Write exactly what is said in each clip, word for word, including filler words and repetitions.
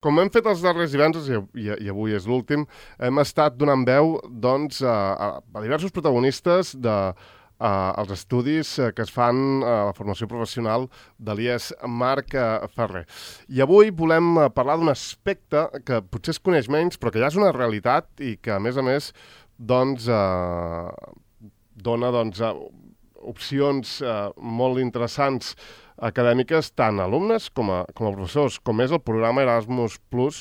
Com hem fet els darrers divendres, i, i, i avui és l'últim, hem estat donant veu doncs, a, a, a diversos protagonistes de, a, als estudis que es fan a la formació professional de l'I E S Marc Ferrer. I avui volem parlar d'un aspecte que potser es coneix menys, però que ja és una realitat i que, a més a més, doncs, eh, dona doncs, opcions eh, molt interessants acadèmiques tant a alumnes com a, com a professors, com és el programa Erasmus Plus,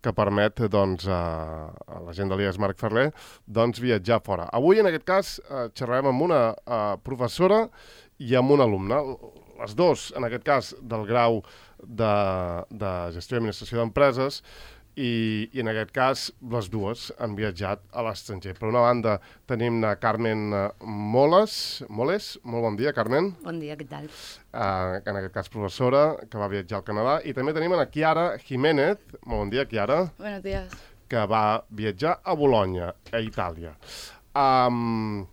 que permet doncs, a, a la gent de l'I E S Marc Ferrer doncs, viatjar fora. Avui, en aquest cas, eh, xerrarem amb una eh, professora i amb un alumne. Les dos, en aquest cas, del grau de, de Gestió i Administració d'Empreses, i, i en aquest cas les dues han viatjat a l'estranger. Per una banda tenim la Carmen Moles, Moles, molt bon dia, Carmen. Bon dia, què tal? Uh, en aquest cas professora, que va viatjar al Canadà. I també tenim a Chiara Jiménez, molt bon dia, Chiara. Buenos días. Que va viatjar a Bolonya, a Itàlia. Um,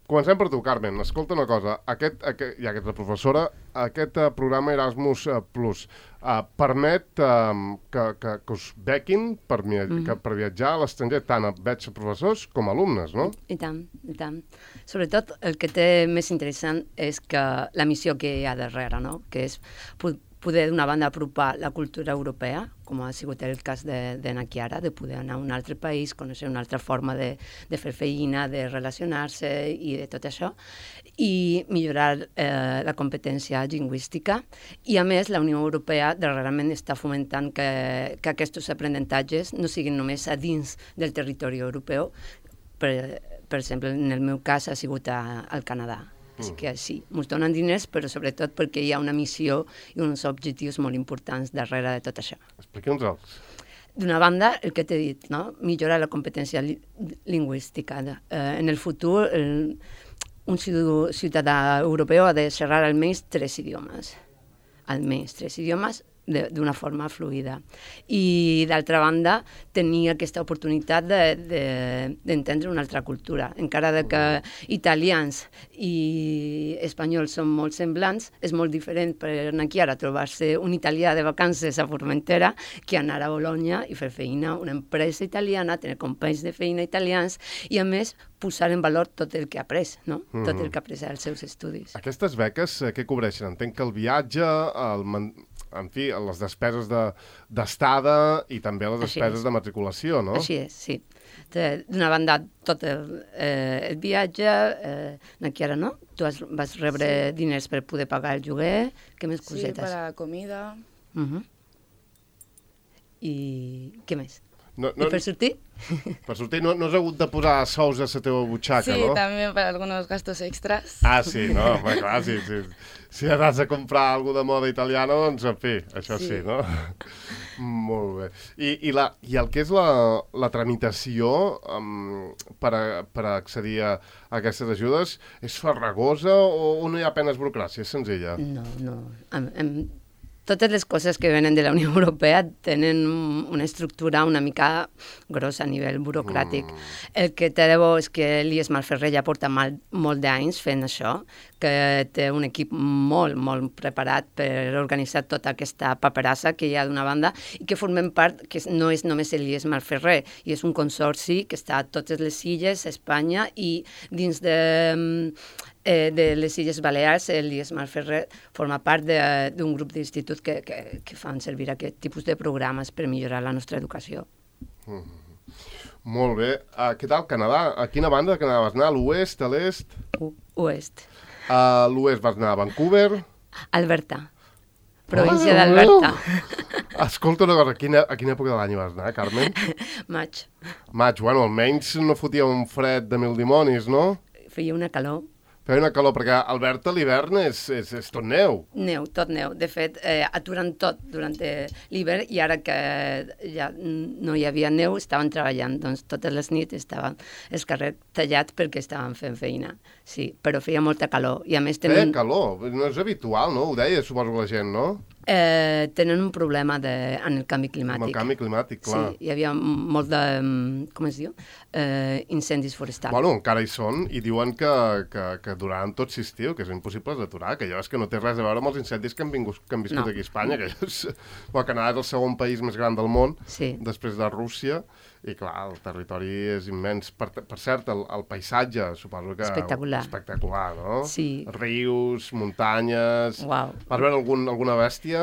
Comencem per tu, Carmen. Escolta una cosa, aquest, aquest, ja que ets la professora, aquest uh, programa Erasmus uh, Plus uh, permet uh, que, que, que us bequin per, mm -hmm. que, per viatjar a l'estranger, tant a veig professors com a alumnes, no? I tant, i tant. Sobretot el que té més interessant és que la missió que hi ha darrere, no? Que és poder, d'una banda, apropar la cultura europea, com ha sigut el cas de, de na Chiara, de poder anar a un altre país, conèixer una altra forma de, de fer feina, de relacionar-se i de tot això, i millorar eh, la competència lingüística. I, a més, la Unió Europea darrerament està fomentant que, que aquests aprenentatges no siguin només a dins del territori europeu. Per, per exemple, en el meu cas ha sigut a, al Canadà. Així que sí, ens donen diners, però sobretot perquè hi ha una missió i uns objectius molt importants darrere de tot això. Expliqui'ns-els. D'una banda, el que t'he dit, no? Millorar la competència li lingüística. Eh, en el futur, el, un ciutadà europeu ha de xerrar almenys tres idiomes. Almenys tres idiomes d'una forma fluida. I, d'altra banda, tenir aquesta oportunitat d'entendre de, de, una altra cultura. Encara de que italians i espanyols són molt semblants, és molt diferent per na Chiara trobar-se un italià de vacances a Formentera que anar a Bolonya i fer feina a una empresa italiana, tenir companys de feina italians i, a més, posar en valor tot el que ha après, no? Mm-hmm. Tot el que ha après als seus estudis. Aquestes beques, eh, què cobreixen? Entenc que el viatge, el man... en fi, les despeses d'estada de, i també les despeses de matriculació, no? Així és, sí. D'una banda, tot el, eh, el viatge, eh, na Chiara, no? Tu has, vas rebre sí. diners per poder pagar el lloguer, què més cosetes? Sí, per a comida. Uh-huh. I què més? No, no, I per sortir? Per sortir no, no has hagut de posar sous a la teva butxaca, sí, no? Sí, també per alguns gastos extras. Ah, sí, no? Home, clar, sí, sí. Si has de comprar alguna de moda italiana, doncs, en fi, això sí, sí no? Molt bé. I, i, la, I el que és la, la tramitació um, per, a, per a accedir a, a aquestes ajudes és farragosa o, o no hi ha apenes burocràcia? És senzilla? No, no. Em, em... Totes les coses que venen de la Unió Europea tenen una estructura una mica grossa a nivell burocràtic. Mm. El que té de bo és que l'I E S Marc Ferrer ja porta mal, molt d'anys fent això, que té un equip molt, molt preparat per organitzar tota aquesta paperassa que hi ha d'una banda i que formem part, que no és només l'I E S Marc Ferrer, i és un consorci que està a totes les illes, a Espanya, i dins de... Eh, de les Illes Balears, l'I E S Marc Ferrer forma part d'un grup d'instituts que, que, que fan servir aquest tipus de programes per millorar la nostra educació. Mm -hmm. Molt bé. Uh, què tal, Canadà? A quina banda de Canadà vas anar? A l'oest, a l'est? Oest. A l'oest vas anar a Vancouver? Alberta. Província ah, d'Alberta. Escolta una cosa, a quina, a quina època de l'any vas anar, Carmen? Maig. Maig, bueno, almenys no fotia un fred de mil dimonis, no? Feia una calor. Feia una calor, perquè a Alberta l'hivern és, és, és tot neu. Neu, tot neu. De fet, eh, aturen tot durant l'hivern i ara que ja no hi havia neu, estaven treballant. Doncs totes les nits estaven els carrers tallats perquè estaven fent feina. Sí, però feia molta calor. I a més tenen... Feia calor? No és habitual, no? Ho deia, suposo, la gent, no? Eh, tenen un problema de, en el canvi climàtic. Amb el canvi climàtic, clar. Sí, hi havia molt de, com es diu, eh, incendis forestals. Bueno, encara hi són i diuen que, que, que duraran tot l'estiu, que és impossible d'aturar, que allò és que no té res a veure amb els incendis que han, vingut, que han viscut No. aquí a Espanya, que és... Bueno, Canadà és el segon país més gran del món, Sí. després de Rússia, i clar, el territori és immens. Per, per cert, el, el paisatge, suposo que... Espectacular. Espectacular, no? Sí. Rius, muntanyes... Uau. Vas veure algun, alguna bèstia?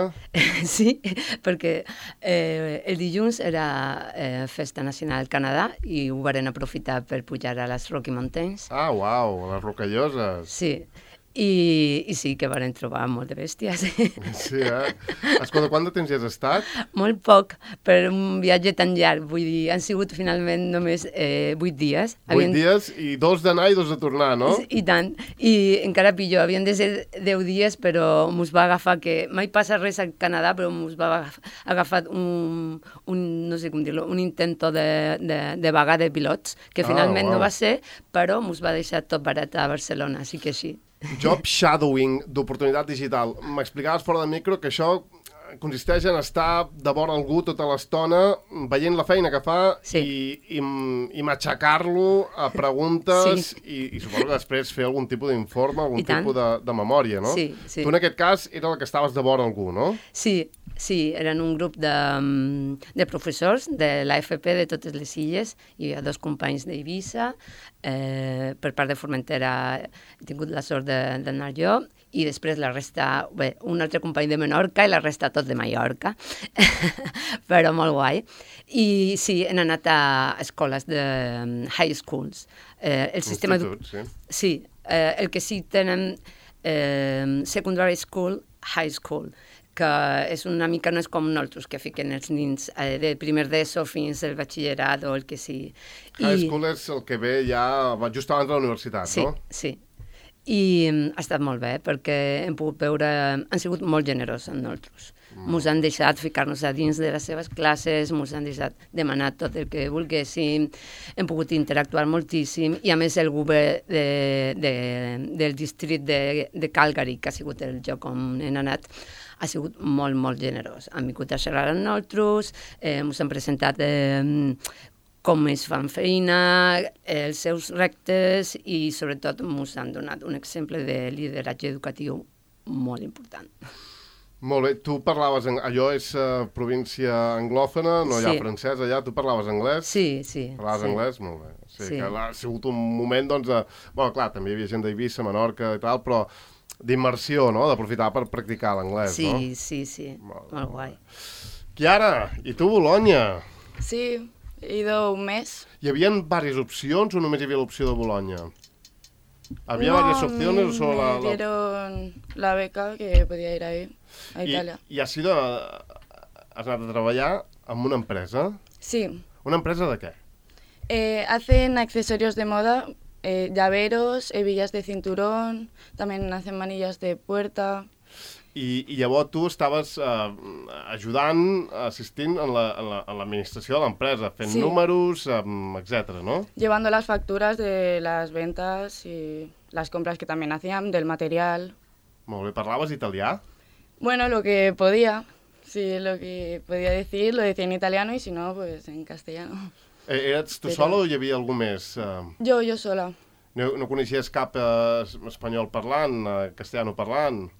Sí, perquè eh, el dilluns era eh, Festa Nacional al Canadà i ho varen aprofitar per pujar a les Rocky Mountains. Ah, uau, les rocalloses. Sí, i, i sí que varen trobar molt de bèsties. Sí, eh? Escolta, quant de temps hi has estat? Molt poc per un viatge tan llarg, vull dir, han sigut finalment només eh, vuit dies. Vuit dies i dos d'anar i dos de tornar, no? I tant, i encara pitjor, havien de ser deu dies, però mos va agafar que mai passa res al Canadà, però mos va agaf- agafat un, un no sé com dir-lo, un intento de, de, de vaga de pilots, que Ah, finalment uau. no va ser, però mos va deixar tot barat a Barcelona, així que sí. Job shadowing d'oportunitat digital. M'explicaves fora de micro que això consisteix en estar de vora algú tota l'estona veient la feina que fa Sí. i, i, i matxacar-lo a preguntes Sí. i, i suposo que després fer algun tipus d'informe, algun I tant. tipus de, de memòria, no? Sí, sí. Tu en aquest cas era el que estaves de vora algú, no? Sí, sí, eren un grup de, mm, de professors de l'A F P de totes les illes. Hi havia dos companys d'Eivissa, eh, per part de Formentera he tingut la sort de- d'anar jo, i després la resta, bé, un altre company de Menorca i la resta tot de Mallorca, però molt guai. I sí, hem anat a escoles de mm, high schools. Eh, el sistema edu- Institut, sí. Sí, eh, el que sí tenen eh, secondary school, high school, que és una mica, no és com nosaltres, que fiquen els nins eh, de primer d'ESO fins al batxillerat o el que sigui. High school és el que ve ja va just abans de la universitat, Sí, no? sí. I mm, ha estat molt bé, perquè hem pogut veure... Han sigut molt generosos amb nosaltres. Ens han deixat ficar-nos a dins de les seves classes, ens han deixat demanar tot el que volguéssim, hem pogut interactuar moltíssim, i a més el govern de, de, del districte de, de Calgary, que ha sigut el lloc on hem anat, ha sigut molt, molt generós. Han vingut a xerrar amb nosaltres, eh, ens han presentat eh, com es fan feina, els seus reptes i sobretot ens han donat un exemple de lideratge educatiu molt important. Molt bé, tu parlaves, en... allò és uh, província anglòfona, no hi ha Sí. francès allà, tu parlaves anglès? Sí, sí. Parlaves sí. anglès? Molt bé. Sí, Sí. que ha sigut un moment, doncs, de... Bueno, clar, també hi havia gent d'Eivissa, Menorca i tal, però d'immersió, no?, d'aprofitar per practicar l'anglès, Sí, no? sí, sí, Molt molt guai. Chiara, i tu, Bologna? Sí, he ido un mes. Hi havia diverses opcions o només hi havia l'opció de Bologna? Había No, varias opciones o solo me la, la... dieron la beca que podía ir ahí, a I, Italia. I has sido... Has anat a treballar en una empresa? Sí, Una empresa de què? eh, hacen accesorios de moda, eh, llaveros, hebillas de cinturón, también hacen manillas de puerta. I, i llavors tu estaves eh, ajudant, assistint en la- en la- en l'administració de l'empresa, fent Sí. números, eh, etcètera, no? Llevando las facturas de las ventas y las compras que también hacían, del material. Molt bé, parlaves italià? Bueno, lo que podía, sí, lo que podía decir, lo decía en italiano y si no, pues en castellano. Eh, eres tu Però- sola o hi havia algú més? Eh, Yo, yo sola. no, no coneixies cap eh, espanyol parlant, eh, castellano parlant?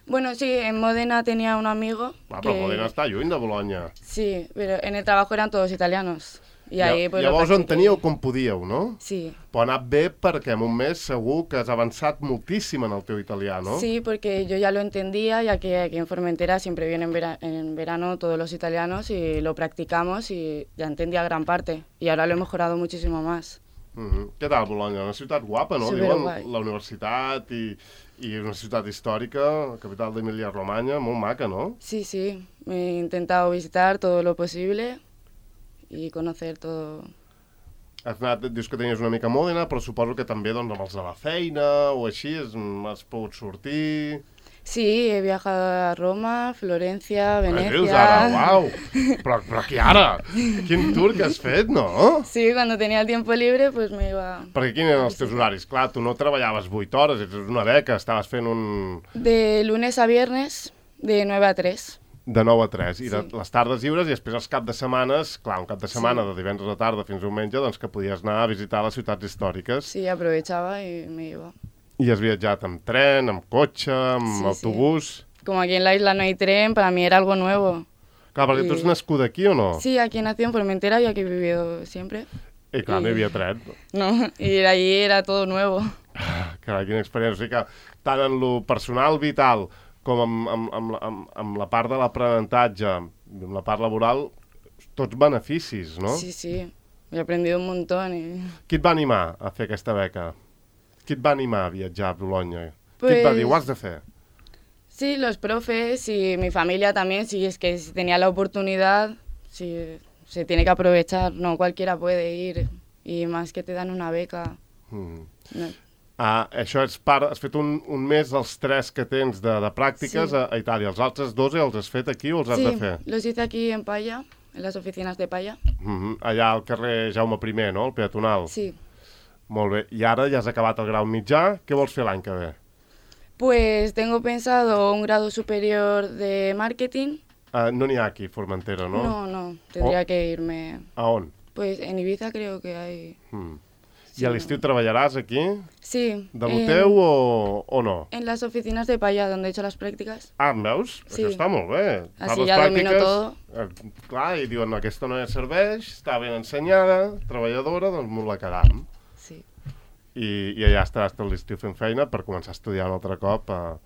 Bueno, sí, en Modena tenía un amigo. Va, però que- Modena està lluny de Bologna. Sí, pero en el trabajo eran todos italianos. Y ahí, pues, lo Llavors on practiqué. teníeu com podíeu, no? Sí. Però ha anat bé perquè en un mes segur que has avançat moltíssim en el teu italià, no? Sí, porque yo ya lo entendía, ya que aquí en Formentera siempre vienen en, vera- en verano todos los italianos y lo practicamos y ya entendía gran parte. Y ahora lo he mejorado muchísimo más. Mhm. Què tal, Bologna? Una ciutat guapa, no? Superguai. Diuen la universitat i, i una ciutat històrica, la capital d'Emília-Romanya, molt maca, no? Sí, sí, he intentado visitar todo lo posible y conocer todo. Has anat, dius que tenies una mica a Mòdena, però suposo que també doncs, amb els de la feina o així has, has pogut sortir... Sí, he viajado a Roma, Florencia, Què dius ara? Venecia. Uau! Però, però qui ara? Quin tour que has fet, no? Sí, cuando tenía el tiempo libre, pues me iba Perquè quins eren els teus horaris? Clar, tu no treballaves vuit hores, és una beca, estaves fent un... de lunes a viernes, De nueve a tres. De nou a tres, i de Sí. les tardes lliures, i després els cap de setmanes, clar, un cap de setmana Sí. de divendres a tarda fins a diumenge, doncs que podies anar a visitar les ciutats històriques. Sí, aprovechaba y me iba. I has viatjat amb tren, amb cotxe, amb Sí, sí. autobús... Como aquí en la isla no hay tren, para mí era algo nuevo. Clar, perquè I- tu ets nascuda aquí o no? Sí, aquí nací en Formentera y aquí he vivido siempre. I clar, no hi havia tren. No, y allí era todo nuevo. Carai, quina experiència. O sigui que tant en lo personal vital com amb, amb, amb, la- amb, amb la part de l'aprenentatge, amb la part laboral, tots beneficis, no? Sí, sí, he aprendido un montón. Y... Qui et va animar a fer aquesta beca? Qui et va animar a viatjar a Bolonya? Qui Pues... et va dir, ho has de fer? Sí, los profes y mi familia también, sí, es que si tenía la oportunidad, sí, se tiene que aprovechar, no cualquiera puede ir, y más que te dan una beca. Mm. No. Ah, això és part... Has fet un, un mes dels tres que tens de, de pràctiques Sí. a, a Itàlia. Els altres dos els has fet aquí o els has Sí, de fer? los hice aquí en Paya, en las oficinas de Paya. Mm -hmm. Allà al carrer Jaume primer, no? El peatonal. Sí. Molt bé. I ara ja has acabat el grau mitjà. Què vols fer l'any que ve? Pues tengo pensado un grado superior de marketing. Uh, no n'hi ha aquí, Formentera, no? No, no, tendría Oh. que irme. A on? Pues en Ibiza creo que hay. Mm. Sí, I a l'estiu treballaràs aquí? Sí. De lo en- teu o, o no? En las oficinas de Paya, donde he hecho las prácticas. Ah, em veus? Sí. Això està molt bé. Fas Així les ja domino pràctiques, todo. eh, clar, i diuen, no, aquesta noia serveix, està ben ensenyada, treballadora, doncs m'ho la quedam. Sí. I, i allà estaràs tot l'estiu fent feina per començar a estudiar un altre cop. Eh,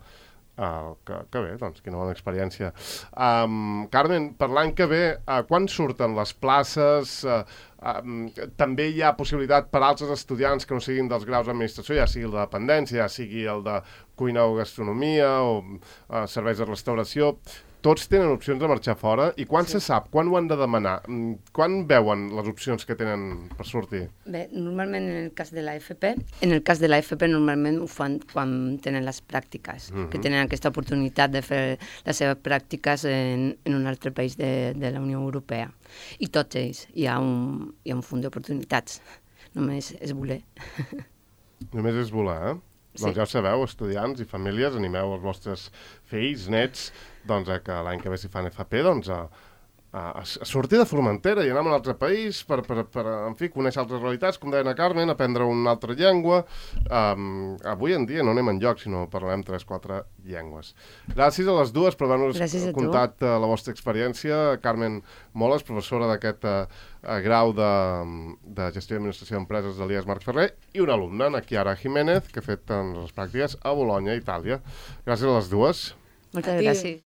eh, que, que bé, doncs, quina bona experiència. Um, Carmen, per l'any que ve, uh, quan surten les places? Uh, um, també hi ha possibilitat per altres estudiants que no siguin dels graus d'administració, ja sigui el de dependència, ja sigui el de cuina o gastronomia o uh, serveis de restauració. Tots tenen opcions de marxar fora. I quan Sí. se sap? Quan ho han de demanar? Mm, Quan veuen les opcions que tenen per sortir? Bé, normalment en el cas de l'A F P, en el cas de l'A F P normalment ho fan quan tenen les pràctiques, Mhm. que tenen aquesta oportunitat de fer les seves pràctiques en, en un altre país de, de la Unió Europea. I tots ells, hi ha un, hi ha un fons d'oportunitats, només és voler. Només és voler, eh? Sí. Doncs ja ho sabeu, estudiants i famílies, animeu els vostres fills, nets, doncs a que l'any que ve si fan F P, doncs a, a, a sortir de Formentera i anar a un altre país per, per, per en fi, conèixer altres realitats, com deia la Carmen, aprendre una altra llengua. Um, avui en dia no anem enlloc, sinó parlarem tres, quatre llengües. Gràcies a les dues per haver-nos Gràcies a tu. contat uh, la vostra experiència. Carmen Moles, professora d'aquest uh, uh, grau de, de Gestió i Administració d'Empreses de l'I E S Marc Ferrer, i una alumna, na Chiara Jiménez, que ha fet uh, les pràctiques a Bolonya, Itàlia. Gràcies a les dues. Moltes A ti. gràcies.